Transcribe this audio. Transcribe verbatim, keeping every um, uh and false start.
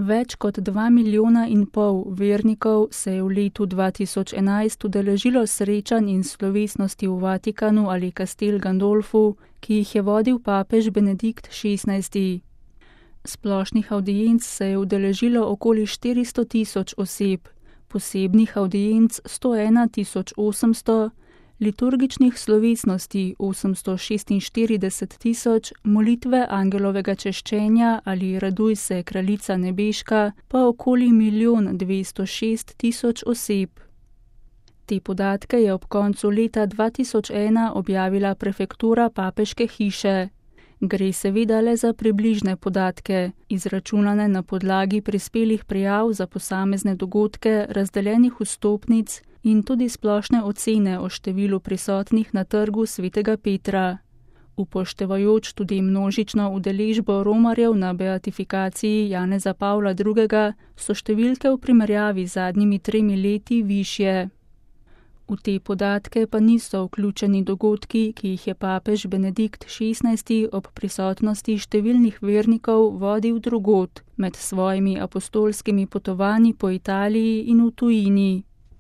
Več kot dva milijona in pol vernikov se je v letu dva tisoč enajst udeležilo srečanj in slovesnosti v Vatikanu ali Castel Gandolfu, ki jih je vodil papež Benedikt šestnajsti. Splošnih avdienc se je udeležilo okoli štiristo tisoč oseb, posebnih avdienc sto ena tisoč osemsto, liturgičnih slovesnosti osemsto šestinštirideset tisoč, molitve angelovega češčenja ali Raduj se, kraljica nebeška, pa okoli milijon dvesto šest tisoč oseb. Te podatke je ob koncu leta dva tisoč ena objavila prefektura papeške hiše. Gre seveda le za približne podatke, izračunane na podlagi prispelih prijav za posamezne dogodke, razdeljenih vstopnic in tudi splošne ocene o številu prisotnih na trgu svetega Petra. Upoštevajoč tudi množično udeležbo romarjev na beatifikaciji Janeza Pavla drugega, so številke v primerjavi z zadnjimi tremi leti višje. V te podatke pa niso vključeni dogodki, ki jih je papež Benedikt šestnajsti ob prisotnosti številnih vernikov vodil drugod, med svojimi apostolskimi potovanji po Italiji in v tujini.